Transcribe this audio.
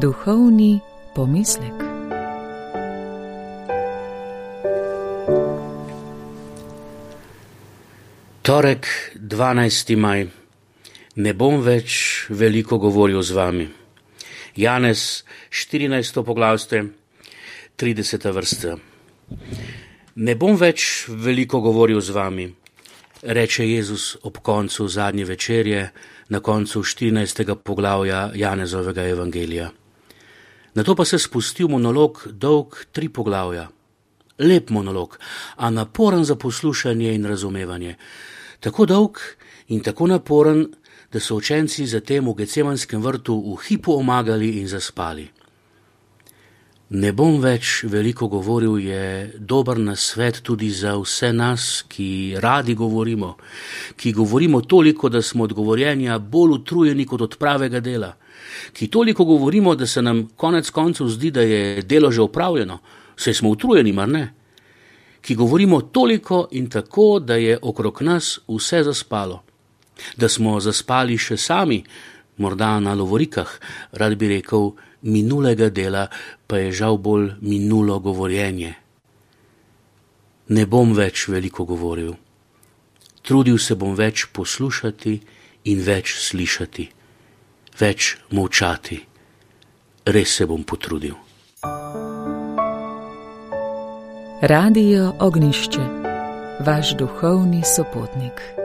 Duhovni pomislek. Torek, 12. maj. Ne bom več veliko govoril z vami. Janez, 14. poglavje, 30. vrsta. Ne bom več veliko govoril z vami, reče Jezus ob koncu zadnje večerje, na koncu 14. poglavja Janezovega evangelija. Nato pa se spusti v monolog dolg 3 poglavja. Lep monolog, a naporen za poslušanje in razumevanje. Tako dolg in tako naporen, da so učenci zatem v Gecemanskem vrtu v hipu omagali in zaspali. Ne bom več veliko govoril je dober nasvet tudi za vse nas, ki radi govorimo, ki govorimo toliko, da smo od govorjenja bolj utrujeni kot od pravega dela, ki toliko govorimo, da se nam konec koncev zdi, da je delo že opravljeno, saj smo utrujeni, mar ne? Ki govorimo toliko in tako, da je okrog nas vse zaspalo, da smo zaspali še sami, morda na lovorikah, rad bi rekel, minulega dela pa je žal bolj minulo govorjenje. Ne bom več veliko govoril. Trudil se bom več poslušati in več slišati, več molčati. Res se bom potrudil. Radio Ognjišče, vaš duhovni sopotnik.